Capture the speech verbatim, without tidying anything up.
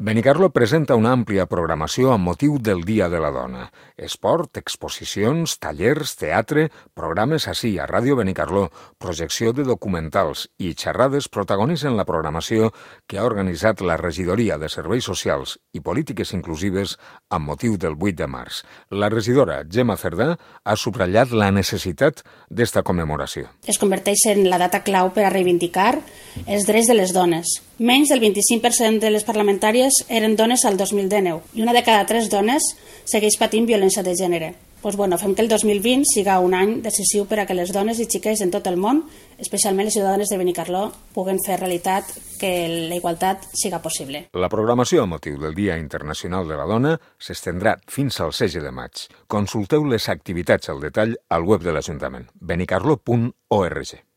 Benicarló presenta una àmplia programació amb motiu del Dia de la Dona. Esport, exposicions, tallers, teatre, programes ací a Ràdio Benicarló, projecció de documentals i xerrades protagonitzen la programació que ha organitzat la Regidoria de Serveis Socials i Polítiques Inclusives amb motiu del vuit de març. La regidora Gemma Cerdà ha subratllat la necessitat d'esta commemoració. Es converteix en la data clau per a reivindicar els drets de les dones. Menys del vint-i-cinc per cent de les parlamentàries eren dones al dos mil dinou i una de cada tres dones segueix patint violència de gènere. Pues bueno, fem que el dos mil vint siga un any decisiu per a que les dones i xiques en tot el món, especialment les ciutadanes de Benicarló, puguen fer realitat que la igualtat siga possible. La programació a motiu del Dia Internacional de la Dona s'estendrà fins al setze de maig. Consulteu les activitats al detall al web de l'Ajuntament, benicarló punt org.